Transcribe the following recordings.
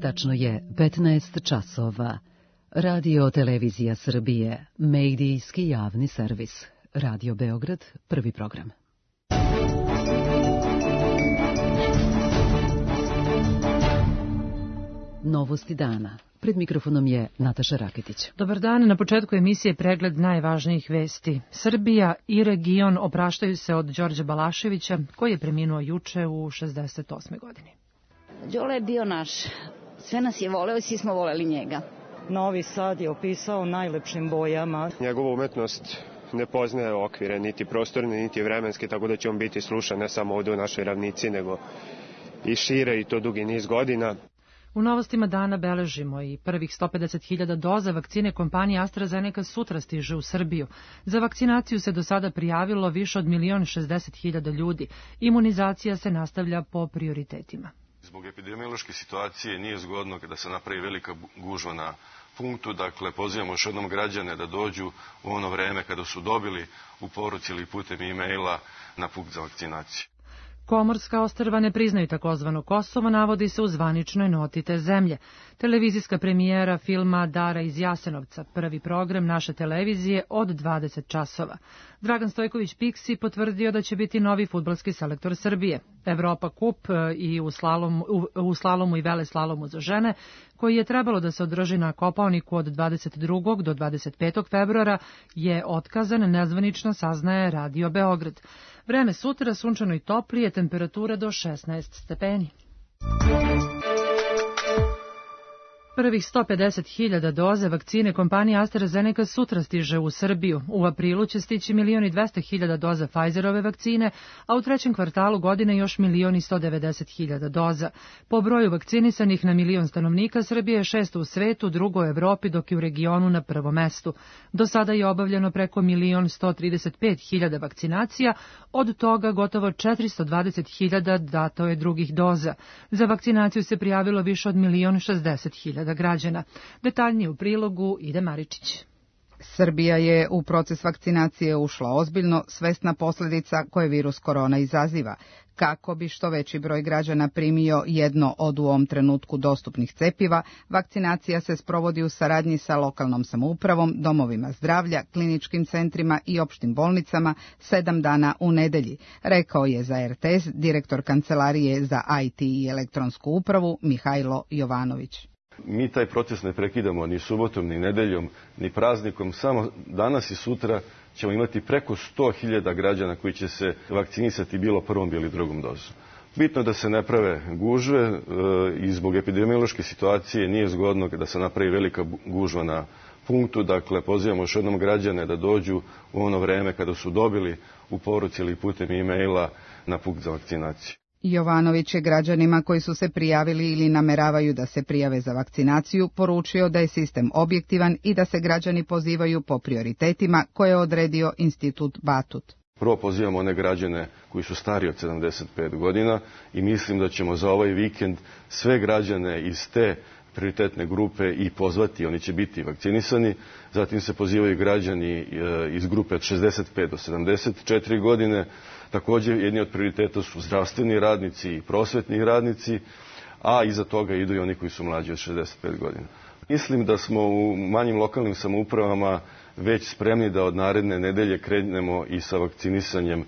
Tačno je 15 časova. Radio Televizija Srbije, medijski javni servis. Radio Beograd, prvi program. Novosti dana. Pred mikrofonom je Nataša Raketić. Dobar dan, na početku emisije pregled najvažnijih vesti. Srbija i region opraštaju se od Đorđa Balaševića, koji je preminuo juče u 68. godini. Đole je bio naš. Sve nas je voleo i svi smo voleli njega. Novi Sad je opisao najlepšim bojama. Njegova umetnost ne poznaje okvire, niti prostorne, niti vremenske, tako da će on biti slušan ne samo ovde u našoj ravnici, nego i šire, i to dugi niz godina. U novostima dana beležimo i prvih 150.000 doza vakcine kompanije AstraZeneca sutra stiže u Srbiju. Za vakcinaciju se do sada prijavilo više od 1.060.000 ljudi. Imunizacija se nastavlja po prioritetima. Zbog epidemiološke situacije nije zgodno kada se napravi velika gužva na punktu, dakle pozivamo još jednom građane da dođu u ono vreme kada su dobili u poruci ili putem e-maila na punkt za vakcinaciju. Komorska ostrva ne priznaju takozvano Kosovo, navodi se u zvaničnoj noti te zemlje. Televizijska premijera filma Dara iz Jasenovca, prvi program naše televizije od 20 časova. Dragan Stojković Piksi potvrdio da će biti novi fudbalski selektor Srbije. Evropa kup i u slalomu i veleslalomu za žene, koji je trebalo da se održi na Kopaoniku od 22. do 25. februara, je otkazan, nezvanično saznaje Radio Beograd. Vreme sutra sunčano i toplije, temperatura do 16 stepeni. Prvih 150.000 doze vakcine kompanije AstraZeneca sutra stiže u Srbiju. U aprilu će stići 1.200.000 doza Pfizerove vakcine, a u trećem kvartalu godine još 1.190.000 doza. Po broju vakcinisanih na milion stanovnika Srbije je šesto u svetu, drugo u Evropi, dok je u regionu na prvom mestu. Do sada je obavljeno preko 1.135.000 vakcinacija, od toga gotovo 420.000 dato je drugih doza. Za vakcinaciju se prijavilo više od 1.060.000 građana. Detaljnije u prilogu Ide Maričić. Srbija je u proces vakcinacije ušla ozbiljno, svesna posljedica koje virus korona izaziva. Kako bi što veći broj građana primio jedno od u ovom trenutku dostupnih cepiva, vakcinacija se sprovodi u saradnji sa lokalnom samoupravom, domovima zdravlja, kliničkim centrima i opštim bolnicama 7 dana u nedelji, rekao je za RTS direktor Kancelarije za IT i elektronsku upravu Mihajlo Jovanović. Mi taj proces ne prekidamo ni subotom, ni nedeljom, ni praznikom. Samo danas i sutra ćemo imati preko 100.000 građana koji će se vakcinisati bilo prvom, bilo drugom dozom. Bitno je da se ne prave gužve i zbog epidemiološke situacije nije zgodno da se napravi velika gužva na punktu. Dakle, pozivamo još jednom građane da dođu u ono vreme kada su dobili u poruci ili putem e-maila na punkt za vakcinaciju. Jovanović je građanima koji su se prijavili ili nameravaju da se prijave za vakcinaciju poručio da je sistem objektivan i da se građani pozivaju po prioritetima koje je odredio Institut Batut. Prvo pozivamo one građane koji su stariji od 75 godina i mislim da ćemo za ovaj vikend sve građane iz te prioritetne grupe i pozvati, oni će biti vakcinisani. Zatim se pozivaju građani iz grupe od 65 do 74 godine. Također, jedni od prioriteta su zdravstveni radnici i prosvetni radnici, a iza toga idu i oni koji su mlađi od 65 godina. Mislim da smo u manjim lokalnim samoupravama već spremni da od naredne nedelje krenemo i sa vakcinisanjem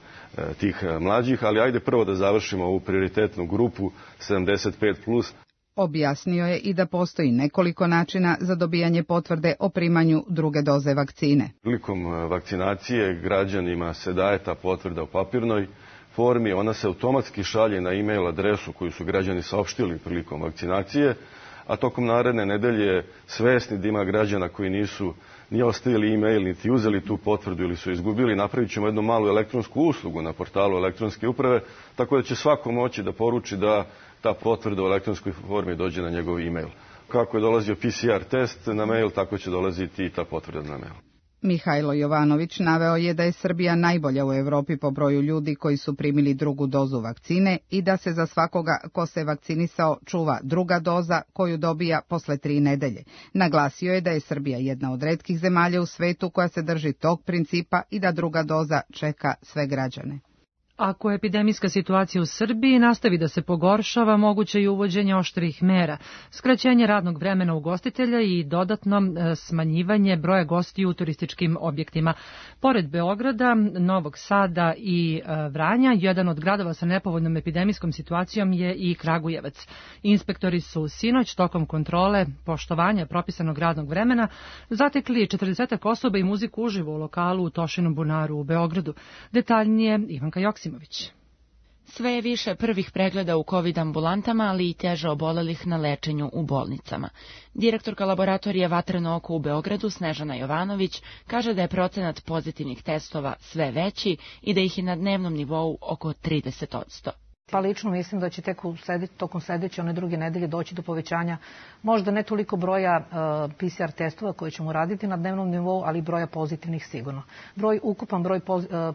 tih mlađih, ali ajde prvo da završimo ovu prioritetnu grupu 75+. Objasnio je i da postoji nekoliko načina za dobijanje potvrde o primanju druge doze vakcine. Prilikom vakcinacije građanima se daje ta potvrda u papirnoj formi, ona se automatski šalje na e-mail adresu koju su građani saopštili prilikom vakcinacije, a tokom naredne nedelje svesni da ima građana koji nisu ni ostavili e-mail, niti uzeli tu potvrdu ili su izgubili, napravit ćemo jednu malu elektronsku uslugu na portalu elektronske uprave, tako da će svako moći da poruči da ta potvrda u elektronskoj formi dođe na njegov e-mail. Kako je dolazio PCR test na mail, tako će dolaziti i ta potvrda na mail. Mihajlo Jovanović naveo je da je Srbija najbolja u Evropi po broju ljudi koji su primili drugu dozu vakcine i da se za svakoga ko se vakcinisao čuva druga doza koju dobija posle 3 nedelje. Naglasio je da je Srbija jedna od retkih zemalja u svetu koja se drži tog principa i da druga doza čeka sve građane. Ako epidemijska situacija u Srbiji nastavi da se pogoršava, moguće je uvođenje oštrih mera, skraćenje radnog vremena ugostitelja i dodatno smanjivanje broja gostiju u turističkim objektima. Pored Beograda, Novog Sada i Vranja, jedan od gradova sa nepovoljnom epidemijskom situacijom je i Kragujevac. Inspektori su sinoć tokom kontrole poštovanja propisanog radnog vremena zatekli 40 osoba i muziku uživo u lokalu u Tošinom bunaru u Beogradu. Detaljnije Ivanka Joksimović. Sve je više prvih pregleda u COVID ambulantama, ali i teže obolelih na lečenju u bolnicama. Direktorka laboratorije Vatreno oko u Beogradu, Snežana Jovanović, kaže da je procenat pozitivnih testova sve veći i da ih je na dnevnom nivou oko 30%. Pa lično mislim da će tek tokom sledeće, one druge nedelje doći do povećanja možda ne toliko broja PCR testova koje ćemo raditi na dnevnom nivou, ali broja pozitivnih sigurno. Ukupan broj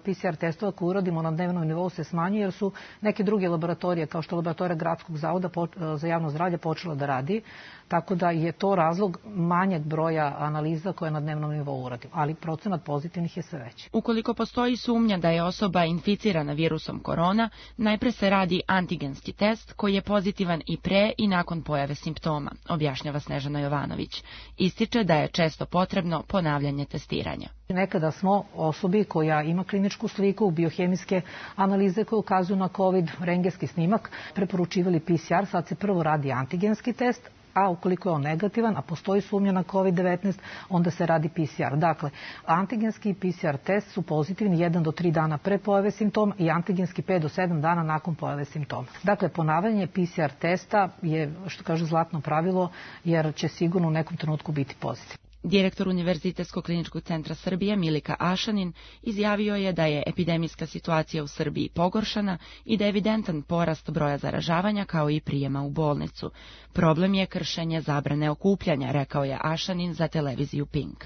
PCR testova koje uradimo na dnevnom nivou se smanjuje jer su neke druge laboratorije, kao što je laboratorija Gradskog zavoda za javno zdravlje, počela da radi, tako da je to razlog manjeg broja analiza koje na dnevnom nivou uradimo, ali procenat pozitivnih je sve veći. Ukoliko postoji sumnja da je osoba inficirana virusom korona, najpre se radi antigenski test koji je pozitivan i pre i nakon pojave simptoma, objašnjava Snežana Jovanović. Ističe da je često potrebno ponavljanje testiranja. Nekada smo osobi koja ima kliničku sliku, biohemijske analize koje ukazuju na COVID, rentgenski snimak, preporučivali PCR, sad se prvo radi antigenski test, a ukoliko je on negativan, a postoji sumnja na COVID-19, onda se radi PCR. Dakle, antigenski i PCR test su pozitivni 1 do 3 dana pre pojave simptoma i antigenski 5 do 7 dana nakon pojave simptoma. Dakle, ponavljanje PCR testa je, što kaže, zlatno pravilo, jer će sigurno u nekom trenutku biti pozitivno. Direktor Univerzitetskog kliničkog centra Srbije Milika Ašanin izjavio je da je epidemijska situacija u Srbiji pogoršana i da je evidentan porast broja zaražavanja kao i prijema u bolnicu. Problem je kršenje zabrane okupljanja, rekao je Ašanin za televiziju Pink.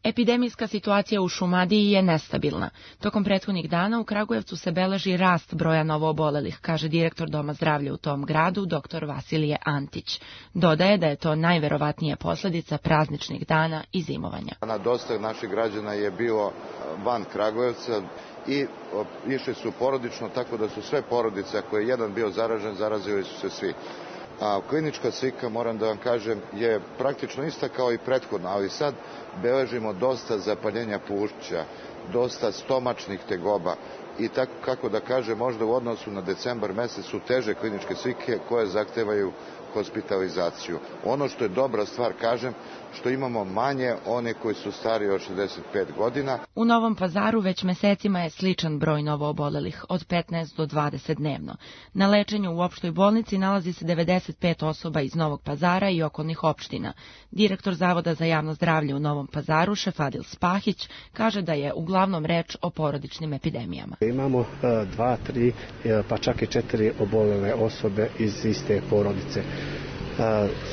Epidemijska situacija u Šumadiji je nestabilna. Tokom prethodnih dana u Kragujevcu se beleži rast broja novoobolelih, kaže direktor Doma zdravlja u tom gradu, dr. Vasilije Antić. Dodaje da je to najverovatnije posljedica prazničnih dana i zimovanja. Dosta naših građana je bilo van Kragujevca i išli su porodično, tako da su sve porodice, ako je jedan bio zaražen, zarazili su se svi. A klinička slika, moram da vam kažem, je praktično ista kao i prethodna, ali sad beležimo dosta zapaljenja pluća, dosta stomačnih tegoba i tako, kako da kažem, možda u odnosu na decembar mesec su teže kliničke slike koje zahtevaju hospitalizaciju. Ono što je dobra stvar, kažem, što imamo manje one koji su stariji od 65 godina. U Novom Pazaru već mesecima je sličan broj novoobolelih, od 15 do 20 dnevno. Na lečenju u opštoj bolnici nalazi se 95 osoba iz Novog Pazara i okolnih opština. Direktor Zavoda za javno zdravlje u Novom Pazaru, Šefadil Spahić, kaže da je uglavnom reč o porodičnim epidemijama. Imamo 2, 3, pa čak i 4 obolele osobe iz iste porodice.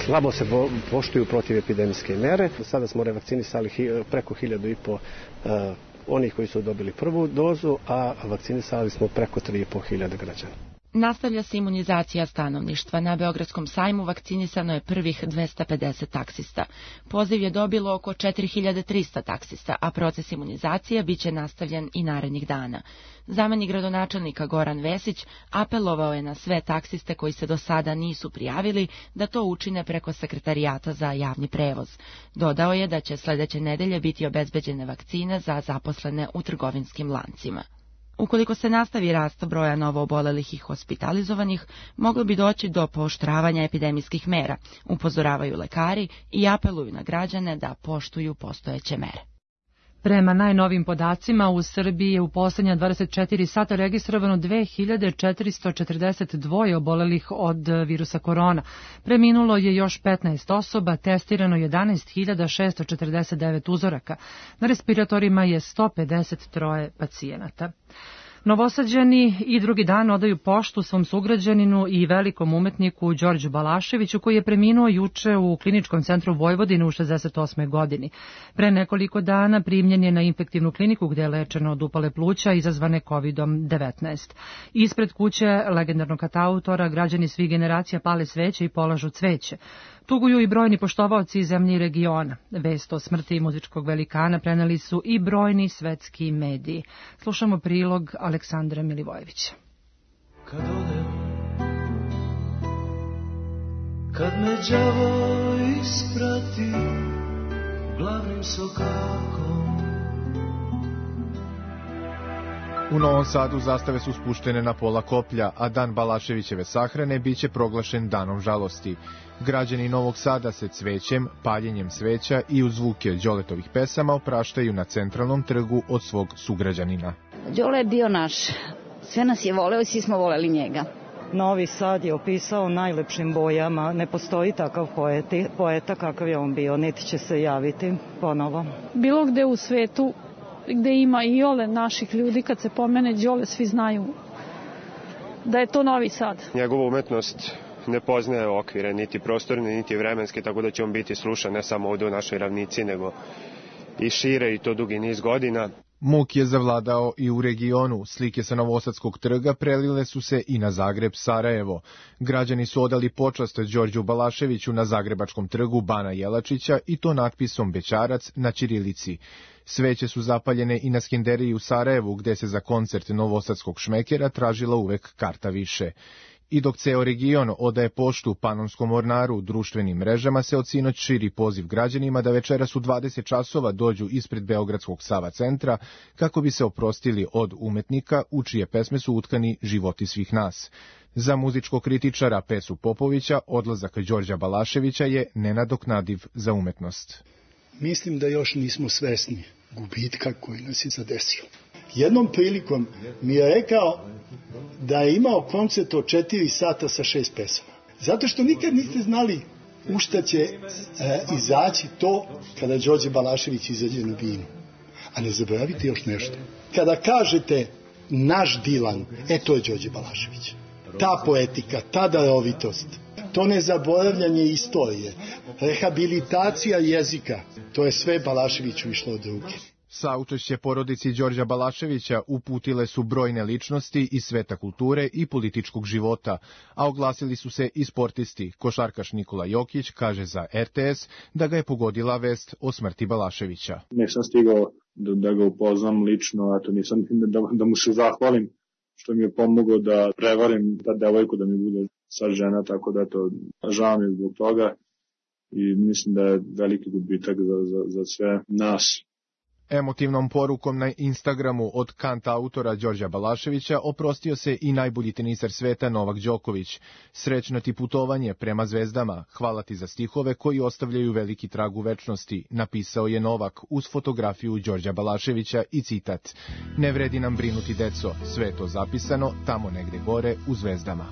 Slabo se poštuju protivepidemijske mere. Sada smo revakcinisali preko 1500 onih koji su dobili prvu dozu, a vakcinisali smo preko 3500 građana. Nastavlja se imunizacija stanovništva. Na Beogradskom sajmu vakcinisano je prvih 250 taksista. Poziv je dobilo oko 4300 taksista, a proces imunizacije biće nastavljen i narednih dana. Zamenik gradonačelnika Goran Vesić apelovao je na sve taksiste koji se do sada nisu prijavili da to učine preko Sekretarijata za javni prevoz. Dodao je da će sledeće nedelje biti obezbeđene vakcine za zaposlene u trgovinskim lancima. Ukoliko se nastavi rast broja novoobolelih i hospitalizovanih, moglo bi doći do pooštravanja epidemijskih mera, upozoravaju lekari i apeluju na građane da poštuju postojeće mere. Prema najnovim podacima, u Srbiji je u poslednja 24 sata registrovano 2442 obolelih od virusa korona. Preminulo je još 15 osoba, testirano 11.649 uzoraka. Na respiratorima je 153 pacijenata. Novosađani i drugi dan odaju poštu svom sugrađaninu i velikom umetniku Đorđu Balaševiću, koji je preminuo juče u Kliničkom centru Vojvodine u 68. godini. Pre nekoliko dana primljen je na infektivnu kliniku gde je lečeno od upale pluća izazvane COVID-19. Ispred kuće legendarnog katautora građani svih generacija pale sveće i polažu cveće. Tuguju i brojni poštovaoci iz zemlje i regiona. Vest o smrti muzičkog velikana preneli su i brojni svetski mediji. Slušamo prilog Aleksandra Milivojevića. Kad odem, kad me đavo isprati glavnim sokakom. U Novom Sadu zastave su spuštene na pola koplja, a dan Balaševićeve sahrane biće proglašen danom žalosti. Građani Novog Sada se cvećem, paljenjem sveća i uz zvuke Đoletovih pesama opraštaju na centralnom trgu od svog sugrađanina. Đole je bio naš. Sve nas je voleo i svi smo voleli njega. Novi Sad je opisao najlepšim bojama. Ne postoji takav poeta kakav je on bio, niti će se javiti ponovo. Bilo gde u svetu gde ima i ole naših ljudi, kad se pomene Đole, svi znaju da je to Novi Sad. Njegova umetnost ne poznaje okvire, niti prostorne, niti vremenske, tako da će on biti slušan ne samo ovde u našoj ravnici, nego i šire, i to dugi niz godina. Muk je zavladao i u regionu. Slike sa Novosadskog trga prelile su se i na Zagreb, Sarajevo. Građani su odali počast Đorđu Balaševiću na Zagrebačkom trgu Bana Jelačića i to natpisom Bećarac na ćirilici. Sveće su zapaljene i na Skenderiji u Sarajevu, gde se za koncert novosadskog šmekera tražila uvek karta više. I dok ceo region odaje poštu Panonskom ornaru, društvenim mrežama se od sinoć širi poziv građanima da večeras u 20 časova dođu ispred Beogradskog Sava centra kako bi se oprostili od umetnika u čije pesme su utkani životi svih nas. Za muzičkog kritičara Pesu Popovića odlazak Đorđa Balaševića je nenadoknadiv za umetnost. Mislim da još nismo svesni gubitka koji nas je zadesio. Jednom prilikom mi je rekao da je imao koncert od 4 sata sa 6 pesama. Zato što nikad niste znali u šta će izaći to kada Đorđe Balašević izađe na binu. A ne zaboravite još nešto. Kada kažete naš Dilan, to je Đorđe Balašević. Ta poetika, ta darovitost, to nezaboravljanje istorije, rehabilitacija jezika, to je sve Balaševiću išlo od ruke. Saučešće porodici Đorđa Balaševića uputile su brojne ličnosti iz sveta kulture i političkog života, a oglasili su se i sportisti. Košarkaš Nikola Jokić kaže za RTS da ga je pogodila vest o smrti Balaševića. Nisam stigao da ga upoznam lično, a to nisam da mu se zahvalim što mi je pomogao da prevarim ta devojku da mi bude sad žena, tako da to žao mi zbog toga i mislim da je veliki gubitak za sve nas. Emotivnom porukom na Instagramu od kantautora Đorđa Balaševića oprostio se i najbolji tenisar sveta Novak Đoković. Srećno ti putovanje prema zvezdama, hvala ti za stihove koji ostavljaju veliki trag u večnosti, napisao je Novak uz fotografiju Đorđa Balaševića i citat: Ne vredi nam brinuti deco, sve je to zapisano tamo negde gore u zvezdama.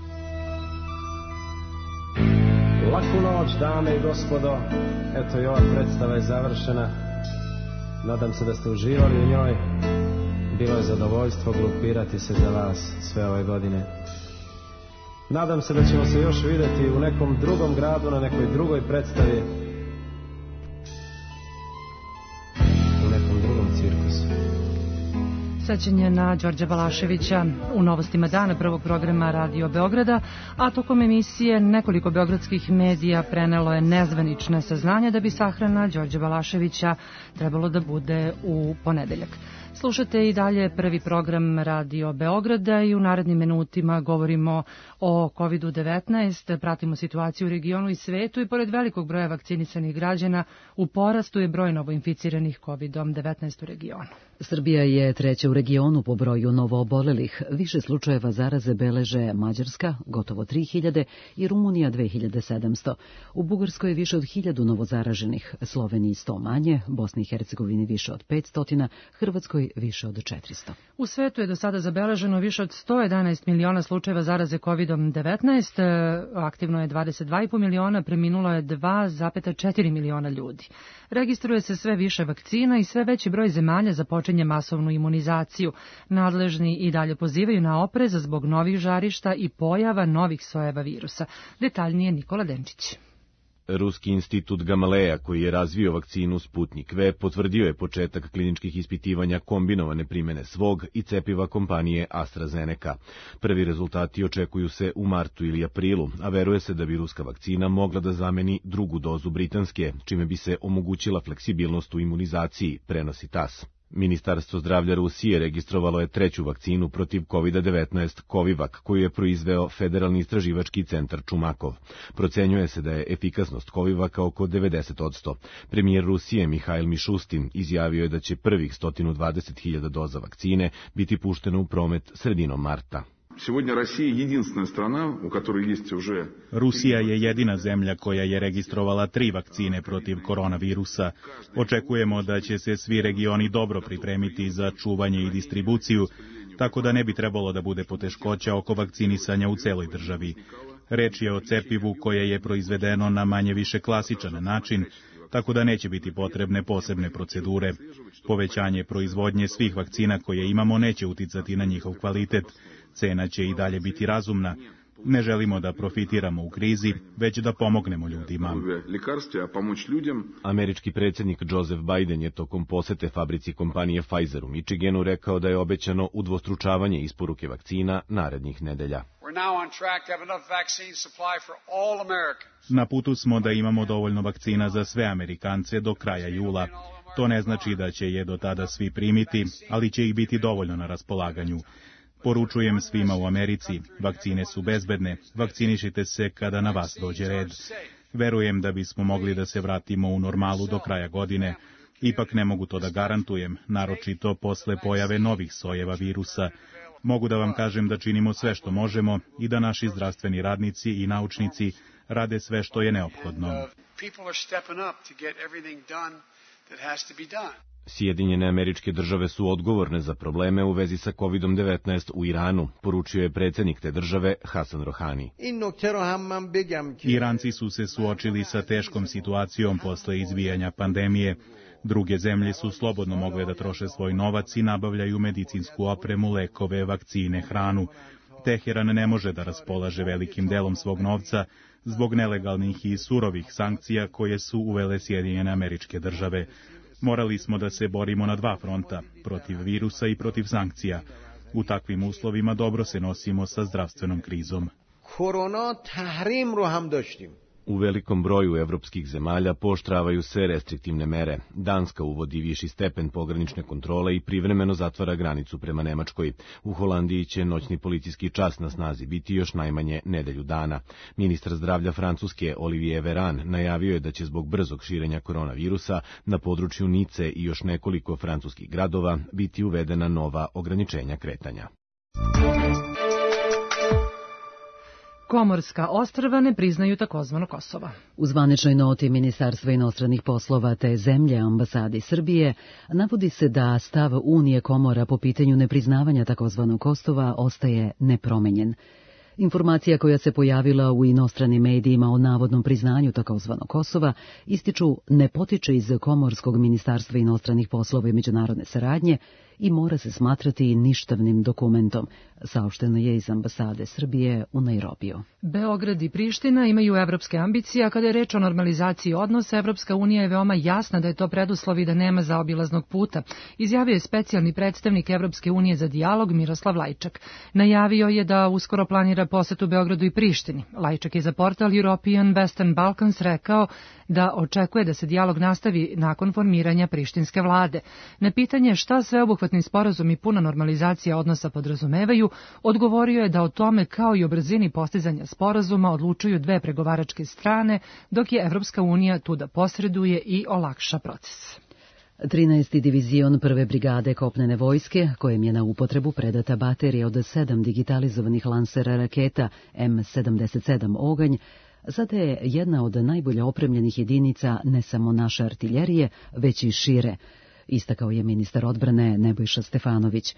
Laku noć, dame i gospodo, eto i ova predstava je završena. Nadam se da ste uživali u njoj. Bilo je zadovoljstvo glupirati se za vas sve ove godine. Nadam se da ćemo se još videti u nekom drugom gradu, na nekoj drugoj predstavi, u nekom drugom cirkusu. Sećanje na Đorđa Balaševića u novostima dana prvog programa Radio Beograda, a tokom emisije nekoliko beogradskih medija prenelo je nezvanične saznanja da bi sahrana Đorđa Balaševića trebalo da bude u ponedeljak. Slušate i dalje prvi program Radio Beograda i u narednim minutima govorimo o COVID-19, pratimo situaciju u regionu i svetu i pored velikog broja vakcinisanih građana u porastu je broj novoinficiranih COVID-19 u regionu. Srbija je treća u regionu po broju novoobolelih. Više slučajeva zaraze beleže Mađarska, gotovo 3000, i Rumunija 2700. U Bugarskoj je više od 1000 novozaraženih, Sloveniji 100 manje, Bosni i Hercegovini više od 500, Hrvatskoj više od 400. U svetu je do sada zabeleženo više od 111 miliona slučajeva zaraze COVID-19, aktivno je 22,5 miliona, preminulo je 2,4 miliona ljudi. Registruje se sve više vakcina i sve veći broj zemalja započinje masovnu imunizaciju. Nadležni i dalje pozivaju na oprez zbog novih žarišta i pojava novih sojeva virusa. Detaljnije Nikola Denčić. Ruski institut Gamaleja, koji je razvio vakcinu Sputnik V, potvrdio je početak kliničkih ispitivanja kombinovane primene svog i cepiva kompanije AstraZeneca. Prvi rezultati očekuju se u martu ili aprilu, a veruje se da bi ruska vakcina mogla da zameni drugu dozu britanske, čime bi se omogućila fleksibilnost u imunizaciji, prenosi TASS. Ministarstvo zdravlja Rusije registrovalo je treću vakcinu protiv COVID-19 Covivac, koju je proizveo Federalni istraživački centar Čumakov. Procenjuje se da je efikasnost Covivaka oko 90%. Premijer Rusije Mihail Mišustin izjavio je da će prvih 120.000 doza vakcine biti pušteno u promet sredinom marta. Rusija je jedina zemlja koja je registrovala 3 vakcine protiv koronavirusa. Očekujemo da će se svi regioni dobro pripremiti za čuvanje i distribuciju, tako da ne bi trebalo da bude poteškoća oko vakcinisanja u celoj državi. Reč je o cepivu koje je proizvedeno na manje više klasičan način, tako da neće biti potrebne posebne procedure. Povećanje proizvodnje svih vakcina koje imamo neće uticati na njihov kvalitet. Cena će i dalje biti razumna. Ne želimo da profitiramo u krizi, već da pomognemo ljudima. Američki predsjednik Joseph Biden je tokom posete fabrici kompanije Pfizer u Michiganu rekao da je obećano udvostručavanje isporuke vakcina narednih nedelja. Na putu smo da imamo dovoljno vakcina za sve Amerikance do kraja jula. To ne znači da će je do tada svi primiti, ali će ih biti dovoljno na raspolaganju. Poručujem svima u Americi, vakcine su bezbedne, vakcinišite se kada na vas dođe red. Verujem da bismo mogli da se vratimo u normalu do kraja godine. Ipak ne mogu to da garantujem, naročito posle pojave novih sojeva virusa. Mogu da vam kažem da činimo sve što možemo i da naši zdravstveni radnici i naučnici rade sve što je neophodno. Sjedinjene Američke Države su odgovorne za probleme u vezi sa COVID-19 u Iranu, poručio je predsjednik te države Hasan Rohani. Iranci su se suočili sa teškom situacijom posle izbijanja pandemije. Druge zemlje su slobodno mogle da troše svoj novac i nabavljaju medicinsku opremu, lekove, vakcine, hranu. Teheran ne može da raspolaže velikim delom svog novca zbog nelegalnih i surovih sankcija koje su uvele Sjedinjene Američke Države. Morali smo da se borimo na 2 fronta, protiv virusa i protiv sankcija. U takvim uslovima dobro se nosimo sa zdravstvenom krizom. U velikom broju evropskih zemalja pooštravaju se restriktivne mere. Danska uvodi viši stepen pogranične kontrole i privremeno zatvara granicu prema Nemačkoj. U Holandiji će noćni policijski čas na snazi biti još najmanje nedelju dana. Ministar zdravlja Francuske Olivier Véran najavio je da će zbog brzog širenja koronavirusa na području Nice i još nekoliko francuskih gradova biti uvedena nova ograničenja kretanja. Komorska ostrva ne priznaju takozvano Kosovo. U zvaničnoj noti Ministarstva inostranih poslova te zemlje ambasadi Srbije navodi se da stav Unije Komora po pitanju nepriznavanja takozvanog Kosova ostaje nepromenjen. Informacija koja se pojavila u inostranim medijima o navodnom priznanju takozvanog Kosova ističu ne potiče iz Komorskog ministarstva inostranih poslova i međunarodne saradnje i mora se smatrati ništavnim dokumentom, saopšteno je iz ambasade Srbije u Nairobiju. Beograd i Priština imaju evropske ambicije, a kada je reč o normalizaciji odnosa, Evropska unija je veoma jasna da je to preduslov i da nema zaobilaznog puta, izjavio je specijalni predstavnik Evropske unije za dijalog Miroslav Lajčak. Najavio je da uskoro planira posetu Beogradu i Prištini. Lajčak je za portal European Western Balkans rekao da očekuje da se dijalog nastavi nakon formiranja prištinske vlade. Na pitanje šta sveobuhvatni sporazum i puna normalizacija odnosa podrazumevaju, odgovorio je da o tome kao i o brzini postizanja sporazuma odlučuju 2 pregovaračke strane, dok je Evropska unija tu da posreduje i olakša proces. 13. divizion prve brigade kopnene vojske, kojem je na upotrebu predata baterija od 7 digitalizovanih lansera raketa M77 Oganj, sada je jedna od najbolje opremljenih jedinica ne samo naše artiljerije, već i šire, istakao je ministar odbrane Nebojša Stefanović.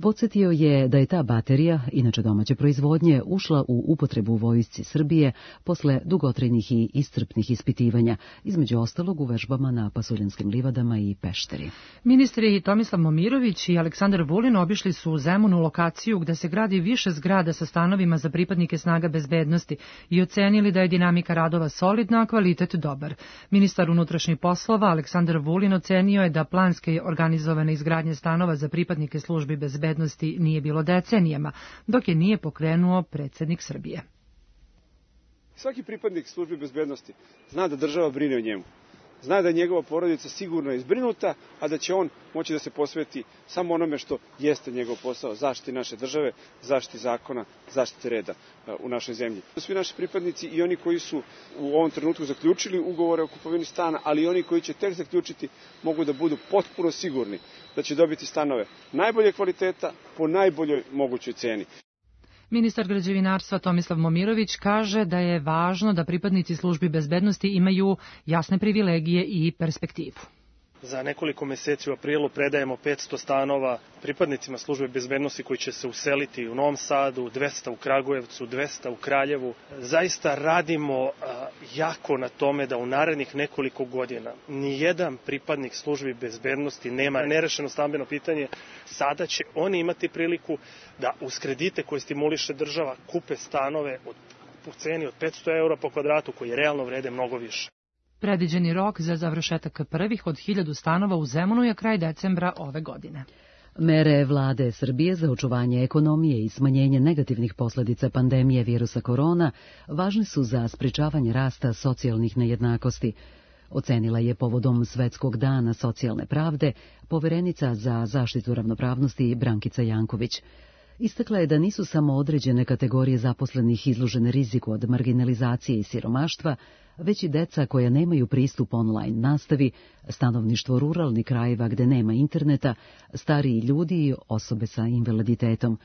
Podsjetio je da je ta baterija, inače domaće proizvodnje, ušla u upotrebu u vojsci Srbije posle dugotrajnih i iscrpnih ispitivanja, između ostalog u vežbama na Pasuljanskim livadama i Pešteri. Ministri Tomislav Momirović i Aleksandar Vulin obišli su u Zemunu lokaciju gde se gradi više zgrada sa stanovima za pripadnike snaga bezbednosti i ocenili da je dinamika radova solidna, a kvalitet dobar. Ministar unutrašnjih poslova Aleksandar Vulin ocenio je da planske organizovane izgradnje stanova za pripadnike službi bezbednosti nije bilo decenijama, dok je nije pokrenuo predsjednik Srbije. Svaki pripadnik službi bezbednosti zna da država brine o njemu. Zna da je njegova porodica sigurno izbrinuta, a da će on moći da se posveti samo onome što jeste njegov posao, zaštiti naše države, zaštiti zakona, zaštiti reda u našoj zemlji. Svi naši pripadnici i oni koji su u ovom trenutku zaključili ugovore o kupovini stana, ali i oni koji će tek zaključiti, mogu da budu potpuno sigurni da će dobiti stanove najbolje kvaliteta po najboljoj mogućoj ceni. Ministar građevinarstva Tomislav Momirović kaže da je važno da pripadnici službi bezbednosti imaju jasne privilegije i perspektivu. Za nekoliko meseci u aprilu predajemo 500 stanova pripadnicima službe bezbednosti koji će se useliti u Novom Sadu, 200 u Kragujevcu, 200 u Kraljevu. Zaista radimo jako na tome da u narednih nekoliko godina nijedan pripadnik službi bezbednosti nema nerešeno stambeno pitanje. Sada će oni imati priliku da uz kredite koje stimuliše država kupe stanove u ceni od 500 eura po kvadratu koji realno vrede mnogo više. Predviđeni rok za završetak prvih od 1000 stanova u Zemunu je kraj decembra ove godine. Mere vlade Srbije za očuvanje ekonomije i smanjenje negativnih posledica pandemije virusa korona važne su za sprečavanje rasta socijalnih nejednakosti, ocenila je povodom Svetskog dana socijalne pravde poverenica za zaštitu ravnopravnosti Brankica Janković. Istakla je da nisu samo određene kategorije zaposlenih izložene riziku od marginalizacije i siromaštva, već i deca koja nemaju pristup online nastavi, stanovništvo ruralnih krajeva gde nema interneta, stariji ljudi i osobe sa invaliditetom.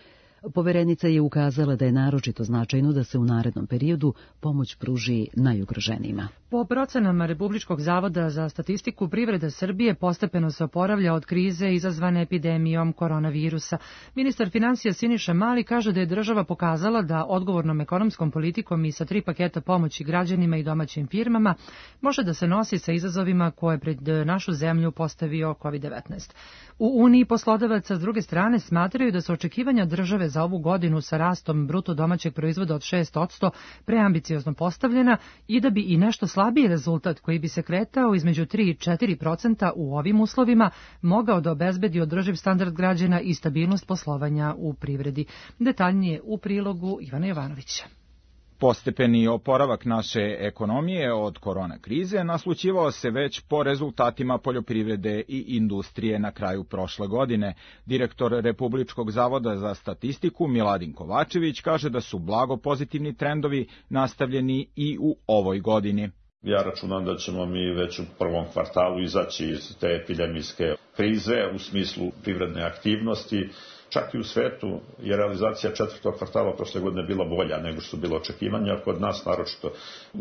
Poverenica je ukazala da je naročito značajno da se u narednom periodu pomoć pruži najugroženijima. Po procenama Republičkog zavoda za statistiku, privreda Srbije postepeno se oporavlja od krize izazvane epidemijom koronavirusa. Ministar finansija Siniša Mali kaže da je država pokazala da odgovornom ekonomskom politikom i sa 3 paketa pomoći građanima i domaćim firmama može da se nosi sa izazovima koje pred našu zemlju postavio COVID-19. U Uniji poslodavaca s druge strane smatraju da su očekivanja države za ovu godinu sa rastom bruto domaćeg proizvoda od 6% preambiciozno postavljena i da bi i nešto slabiji rezultat koji bi se kretao između 3 i 4% u ovim uslovima mogao da obezbedi održiv standard građana i stabilnost poslovanja u privredi. Detaljnije u prilogu Ivana Jovanovića. Postepeni oporavak naše ekonomije od korona krize naslućivao se već po rezultatima poljoprivrede i industrije na kraju prošle godine. Direktor Republičkog zavoda za statistiku Miladin Kovačević kaže da su blago pozitivni trendovi nastavljeni i u ovoj godini. Ja računam da ćemo mi već u prvom kvartalu izaći iz te epidemijske krize u smislu privredne aktivnosti. Čak i u svetu je realizacija 4. kvartala prošle godine bila bolja nego što su bilo očekivanja, kod nas naročito.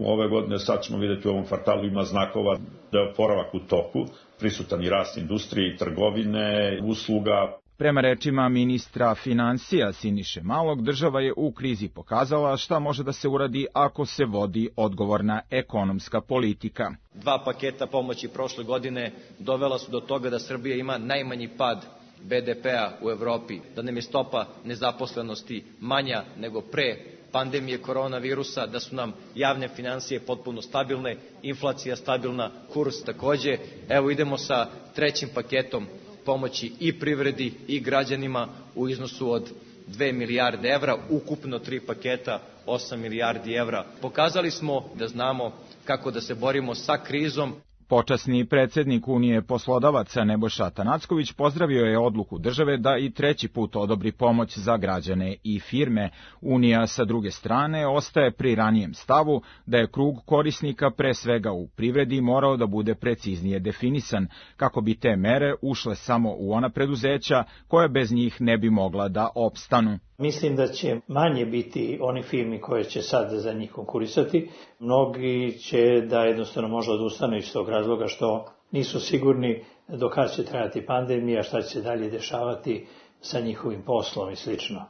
Ove godine sad ćemo vidjeti u ovom kvartalu ima znakova da je oporavak u toku, prisutan i rast industrije i trgovine, usluga. Prema rečima ministra finansija Siniše Malog, država je u krizi pokazala šta može da se uradi ako se vodi odgovorna ekonomska politika. 2 paketa pomoći prošle godine dovela su do toga da Srbija ima najmanji pad BDP-a u Evropi, da nam je stopa nezaposlenosti manja nego pre pandemije koronavirusa, da su nam javne finansije potpuno stabilne, inflacija stabilna, kurs takođe. Evo idemo sa 3. paketom pomoći i privredi i građanima u iznosu od 2 milijarde evra, ukupno 3 paketa 8 milijardi evra. Pokazali smo da znamo kako da se borimo sa krizom. Počasni predsjednik Unije poslodavaca Nebojša Atanacković pozdravio je odluku države da i 3. put odobri pomoć za građane i firme. Unija sa druge strane ostaje pri ranijem stavu da je krug korisnika pre svega u privredi morao da bude preciznije definisan, kako bi te mere ušle samo u ona preduzeća koja bez njih ne bi mogla da opstanu. Mislim da će manje biti oni firmi koje će sad za njih konkurisati. Mnogi će da jednostavno možda odustanu iz tog razloga što nisu sigurni do kada će trajati pandemija, šta će se dalje dešavati sa njihovim poslom i slično.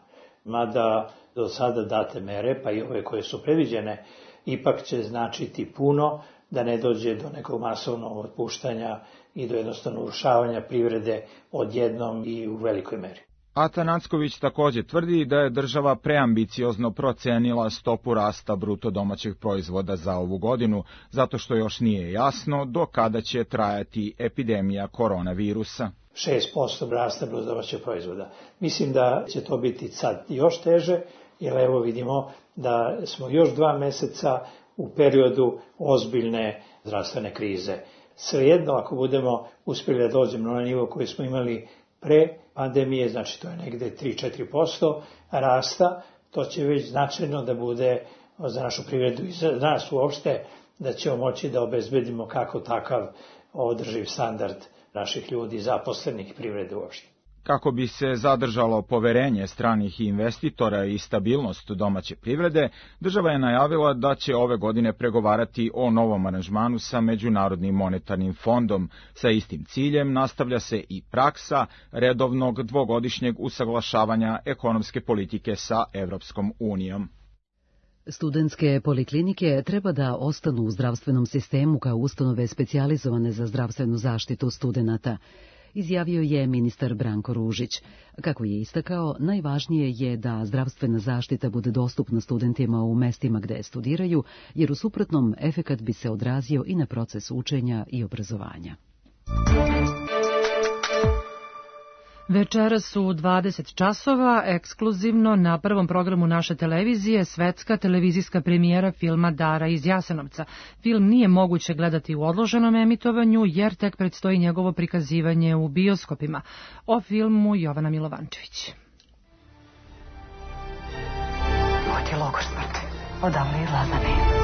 Mada do sada date mere, pa i ove koje su predviđene, ipak će značiti puno da ne dođe do nekog masovnog otpuštanja i do jednostavno urušavanja privrede odjednom i u velikoj meri. Atanacković takođe tvrdi da je država preambiciozno procenila stopu rasta bruto domaćeg proizvoda za ovu godinu, zato što još nije jasno do kada će trajati epidemija koronavirusa. 6% rasta bruto domaćeg proizvoda. Mislim da će to biti sad još teže, jer evo vidimo da smo još 2 meseca u periodu ozbiljne zdravstvene krize. Svejedno, ako budemo uspjeli da dođemo na nivo koji smo imali pre pandemije, znači to je negde 3-4% rasta, to će već značajno da bude za našu privredu i za nas uopšte, da ćemo moći da obezbedimo kako takav održiv standard naših ljudi, zaposlenih i privrede uopšte. Kako bi se zadržalo poverenje stranih investitora i stabilnost domaće privrede, država je najavila da će ove godine pregovarati o novom aranžmanu sa Međunarodnim monetarnim fondom. Sa istim ciljem nastavlja se i praksa redovnog dvogodišnjeg usaglašavanja ekonomske politike sa Evropskom unijom. Studentske poliklinike treba da ostanu u zdravstvenom sistemu kao ustanove specijalizovane za zdravstvenu zaštitu studenata, izjavio je ministar Branko Ružić. Kako je istakao, najvažnije je da zdravstvena zaštita bude dostupna studentima u mestima gde studiraju, jer u suprotnom efekat bi se odrazio i na proces učenja i obrazovanja. Večeras su 20 časova, ekskluzivno na prvom programu naše televizije, svetska televizijska premijera filma Dara iz Jasenovca. Film nije moguće gledati u odloženom emitovanju, jer tek predstoji njegovo prikazivanje u bioskopima. O filmu Jovana Milovančević. Ovo ti je logor smrti, odavno izlazane.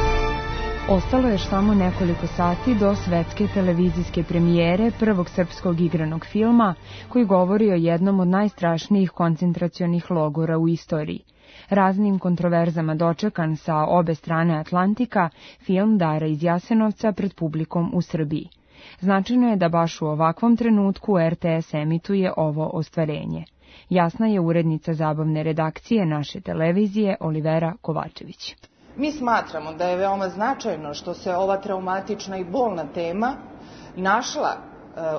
Ostalo je samo nekoliko sati do svetske televizijske premijere prvog srpskog igranog filma koji govori o jednom od najstrašnijih koncentracionih logora u istoriji. Raznim kontroverzama dočekan sa obe strane Atlantika, film Dara iz Jasenovca pred publikom u Srbiji. Značajno je da baš u ovakvom trenutku RTS emituje ovo ostvarenje. Jasna je urednica zabavne redakcije naše televizije Olivera Kovačević. Mi smatramo da je veoma značajno što se ova traumatična i bolna tema našla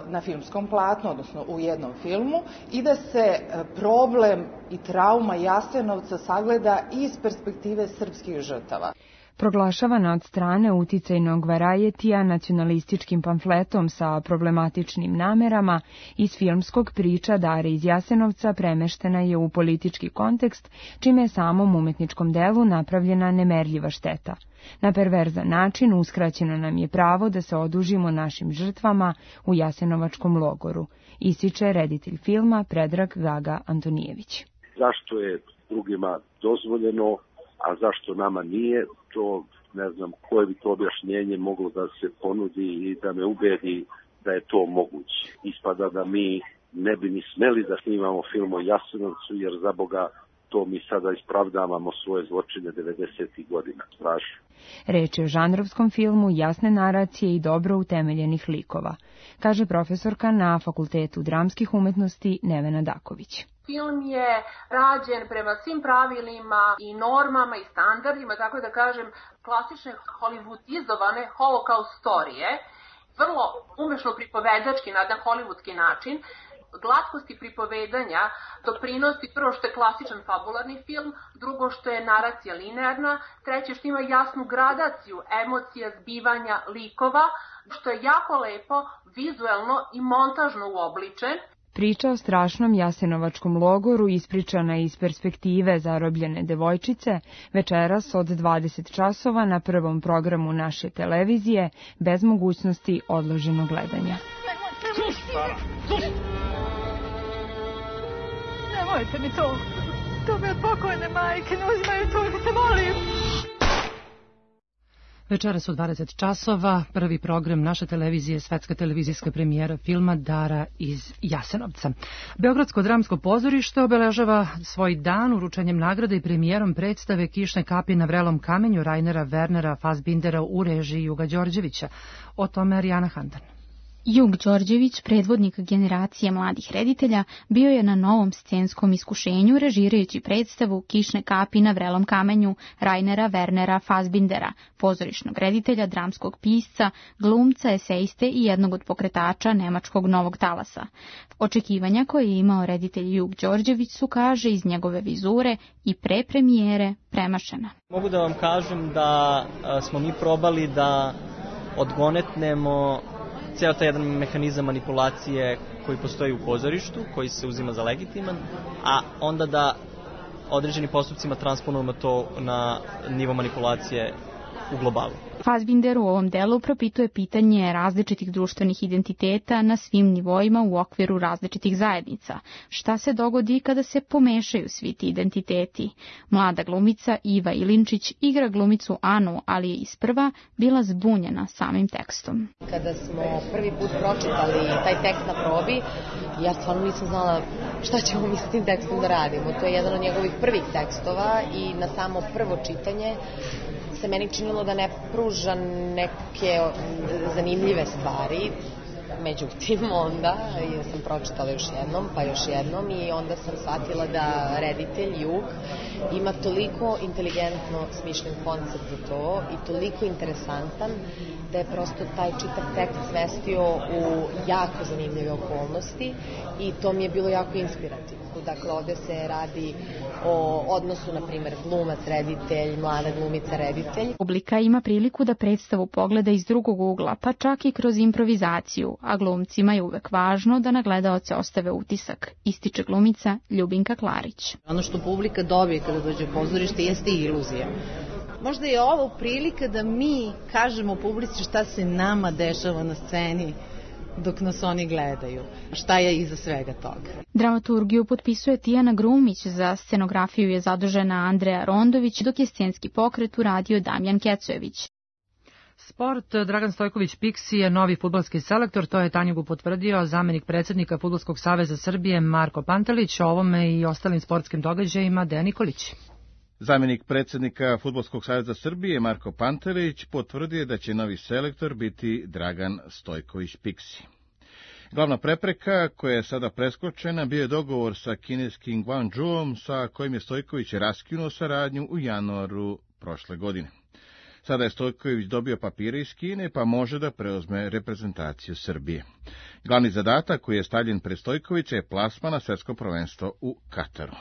na filmskom platnu, odnosno u jednom filmu, i da se problem i trauma Jasenovca sagleda iz perspektive srpskih žrtava. Proglašavana od strane uticajnog Varajetija nacionalističkim pamfletom sa problematičnim namerama, iz filmskog priča Dare iz Jasenovca premeštena je u politički kontekst, čime je samom umetničkom delu napravljena nemerljiva šteta. Na perverzan način uskraćeno nam je pravo da se odužimo našim žrtvama u Jasenovačkom logoru, ističe reditelj filma Predrag Gaga Antonijević. Zašto je drugima dozvoljeno, a zašto nama nije, to ne znam koje bi to objašnjenje moglo da se ponudi i da me ubedi da je to moguće. Ispada da mi ne bi ni smeli da snimamo film o Jasenovcu, jer za Boga to mi sada ispravdavamo svoje zločine 90. godina. Strašno. Reč je o žanrovskom filmu jasne naracije i dobro utemeljenih likova, kaže profesorka na Fakultetu dramskih umetnosti Nevena Daković. Film je rađen prema svim pravilima i normama i standardima, tako da kažem, klasične hollywoodizovane holokaust storije, vrlo umešno pripovedački na jedan hollywoodski način. Glatkosti pripovedanja doprinosi prvo što je klasičan fabularni film, drugo što je naracija linearna, treće što ima jasnu gradaciju emocija, zbivanja, likova, što je jako lepo, vizuelno i montažno uobličen. Priča o strašnom Jasenovačkom logoru ispričana je iz perspektive zarobljene devojčice, večeras od 20 časova na prvom programu naše televizije, bez mogućnosti odloženog gledanja. Nemojte mi to, to me od pokojne majke, ne uzimaju to, da se molim. Večera su 20 časova, prvi program naše televizije, svetska televizijska premijera filma Dara iz Jasenovca. Beogradsko dramsko pozorište obeležava svoj dan uručenjem nagrade i premijerom predstave Kišne kapi na vrelom kamenju Rainera Wernera Fassbindera u režiji Juga Đorđevića. O tome Arijana Handan. Jug Đorđević, predvodnik generacije mladih reditelja, bio je na novom scenskom iskušenju režirajući predstavu Kišne kapi na vrelom kamenju Rainera Wernera Fassbindera, pozorišnog reditelja, dramskog pisca, glumca, eseiste i jednog od pokretača nemačkog novog talasa. Očekivanja koje je imao reditelj Jug Đorđević su, kaže, iz njegove vizure i pre premijere premašena. Mogu da vam kažem da smo mi probali da odgonetnemo ceo taj jedan mehanizam manipulacije koji postoji u pozorištu, koji se uzima za legitiman, a onda da određenim postupcima transponujemo to na nivo manipulacije u globalu. Fassbinder u ovom delu propituje pitanje različitih društvenih identiteta na svim nivoima u okviru različitih zajednica. Šta se dogodi kada se pomešaju svi ti identiteti? Mlada glumica Iva Ilinčić igra glumicu Anu, ali je isprva bila zbunjena samim tekstom. Kada smo prvi put pročitali taj tekst na probi, ja stvarno nisam znala šta ćemo mi s tim tekstom da radimo. To je jedan od njegovih prvih tekstova i na samo prvo čitanje se meni činilo da ne pruža neke zanimljive stvari. Međutim, onda sam pročitala još jednom, pa još jednom i onda sam shvatila da reditelj Jug ima toliko inteligentno smišljen koncept za to i toliko interesantan da je prosto taj čitav tekst svestio u jako zanimljive okolnosti i to mi je bilo jako inspirativno. Dakle, ovdje se radi o odnosu, na primjer, glumac-reditelj, mlada glumica-reditelj. Publika ima priliku da predstavu pogleda iz drugog ugla, pa čak i kroz improvizaciju, a glumcima je uvek važno da na gledaoce ostave utisak, ističe glumica Ljubinka Klarić. Ono što publika dobije kada dođe u pozorište jeste iluzija. Možda je ovo prilika da mi kažemo publici šta se nama dešava na sceni dok nas oni gledaju. Šta je iza svega toga? Dramaturgiju potpisuje Tijana Grumić, za scenografiju je zadužena Andreja Rondović, dok je scenski pokret uradio Damjan Kecojević. Sport, Dragan Stojković Piksi je novi fudbalski selektor, to je Tanjugu potvrdio zamenik predsjednika Fudbalskog saveza Srbije Marko Pantelić, o ovome i ostalim sportskim događajima Dejan Nikolić. Zamenik predsjednika Fudbalskog saveza Srbije Marko Pantelić potvrdio da će novi selektor biti Dragan Stojković Piksi. Glavna prepreka koja je sada preskočena bio je dogovor sa kineskim Guangzhouom sa kojim je Stojković raskinuo saradnju u januaru prošle godine. Sada je Stojković dobio papire iz Kine pa može da preuzme reprezentaciju Srbije. Glavni zadatak koji je stavljen pred Stojkovića je plasman na svjetsko prvenstvo u Kataru.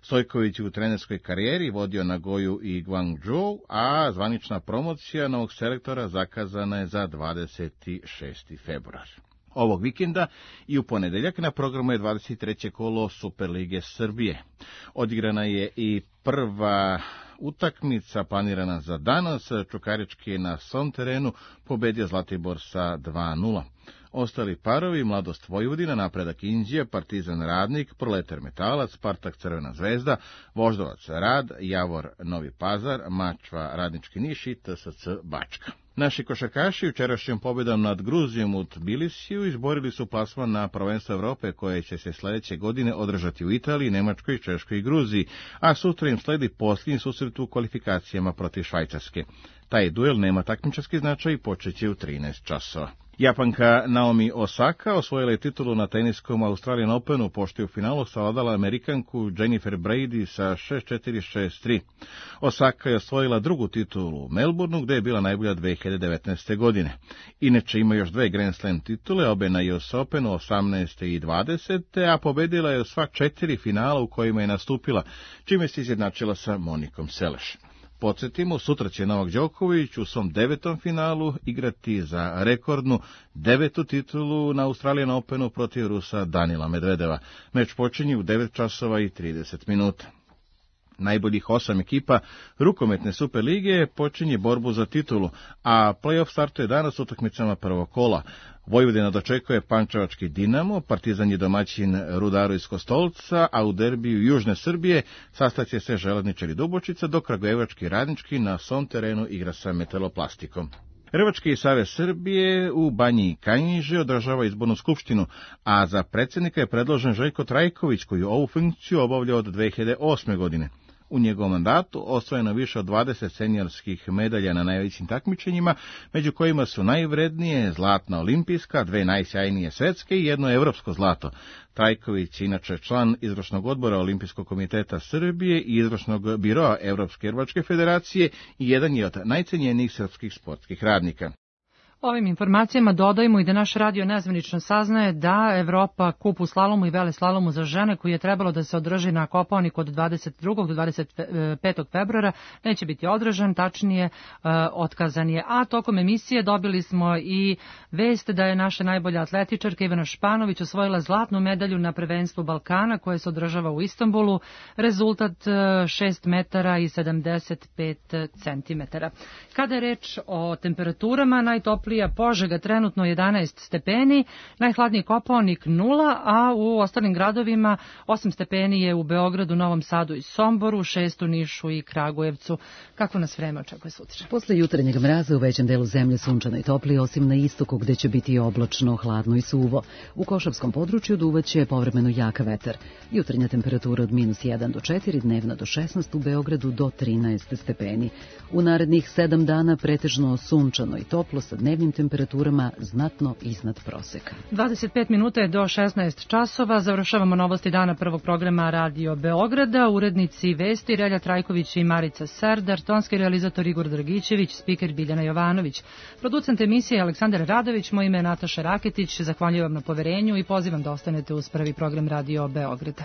Stojković u trenerskoj karijeri vodio Nagoju i Guangzhou, a zvanična promocija novog selektora zakazana je za 26. februar. Ovog vikenda i u ponedeljak na programu je 23. kolo Superlige Srbije. Odigrana je i prva utakmica planirana za danas. Čukarički je na svom terenu pobedio Zlatibor sa 2:0. Ostali parovi Mladost Vojvodina, Napredak Inđija, Partizan Radnik, Proletar Metalac, Spartak Crvena zvezda, Voždovac Rad, Javor Novi Pazar, Mačva Radnički Niš i TSC Bačka. Naši košarkaši jučerašnjom pobjedom nad Gruzijom u Tbilisiju izborili su plasman na prvenstvo Evrope koje će se sljedeće godine održati u Italiji, Nemačkoj, Češkoj i Gruziji, a sutra im sledi posljednji susret u kvalifikacijama protiv Švajcarske. Taj duel nema takmičarski značaj i počeće u 13 časova. Japanka Naomi Osaka osvojila je titulu na teniskom Australian Openu, pošto je u finalu savladala Amerikanku Jennifer Brady sa 6-4-6-3. Osaka je osvojila drugu titulu u Melbourneu, gde je bila najbolja 2019. godine. Inače ima još dve Grand Slam titule, obe na US Openu 18. i 20. a pobedila je sva 4 finala u kojima je nastupila, čime se izjednačila sa Monikom Seleš. Podsjetimo, sutra će Novak Đoković u svom 9. finalu igrati za rekordnu 9. titulu na Australian Openu protiv Rusa Danila Medvedeva. Meč počinje u 9 časova i 30 minuta. Najboljih 8 ekipa rukometne Superlige počinje borbu za titulu, a play-off startuje danas utakmicama prvog kola. Vojvodina dočekuje Pančevački Dinamo, Partizan je domaćin Rudaru iz Kostolca, a u derbiju Južne Srbije sastaće se Želadničar i Dubočica, dok Kragujevački Radnički na svom terenu igra sa Metaloplastikom. Rvački savez Srbije u Banji Kanjiže održava izbornu skupštinu, a za predsjednika je predložen Željko Trajković, koji ovu funkciju obavlja od 2008. godine. U njegovom mandatu osvojeno više od 20 seniorskih medalja na najvećim takmičenjima, među kojima su najvrednije zlatna olimpijska, 2 najsjajnije svetske i 1 evropsko zlato. Trajković, inače član izvršnog odbora Olimpijskog komiteta Srbije i izvršnog biroa Evropske rvačke federacije i jedan je od najcenjenijih srpskih sportskih radnika. Ovim informacijama dodajemo i da naš radio nezvanično saznaje da Evropa kup u slalomu i veleslalomu za žene koji je trebalo da se održi na Kopaoniku od 22. do 25. februara neće biti održan, tačnije otkazan je. A tokom emisije dobili smo i vest da je naša najbolja atletičarka Ivana Španović osvojila zlatnu medalju na prvenstvu Balkana koje se održava u Istanbulu, rezultat 6 metara i 75 centimetara. Kada je reč o temperaturama, najtoplija Požega trenutno 11 stepeni, najhladniji Kopaonik 0, a u ostalim gradovima 8 stepeni je u Beogradu, Novom Sadu i Somboru, 6 u Nišu i Kragujevcu. Kako nas vreme očekuje sutra? Posle jutarnjeg mraza u većem delu zemlje sunčano i toplije, osim na istoku gde će biti oblačno, hladno i suvo. U Košavskom području duvaće povremeno jak vetar. Jutarnja temperatura od -1 do 4, dnevna do 16, u Beogradu do 13 stepeni. U narednih 7 dana pretežno sunčano i toplo sa dnevnim temperaturama znatno iznad proseka. 25 minuta je do 16 časova. Završavamo novosti dana prvog programa Radio Beograda. Urednici vesti Relja Trajković i Marica Serdar, tonski realizator Igor Dragićević, spiker Biljana Jovanović. Producent emisije Aleksandar Radović, moje ime je Nataša Raketić. Zahvaljujem vam na poverenju i pozivam da ostanete uz prvi program Radio Beograda.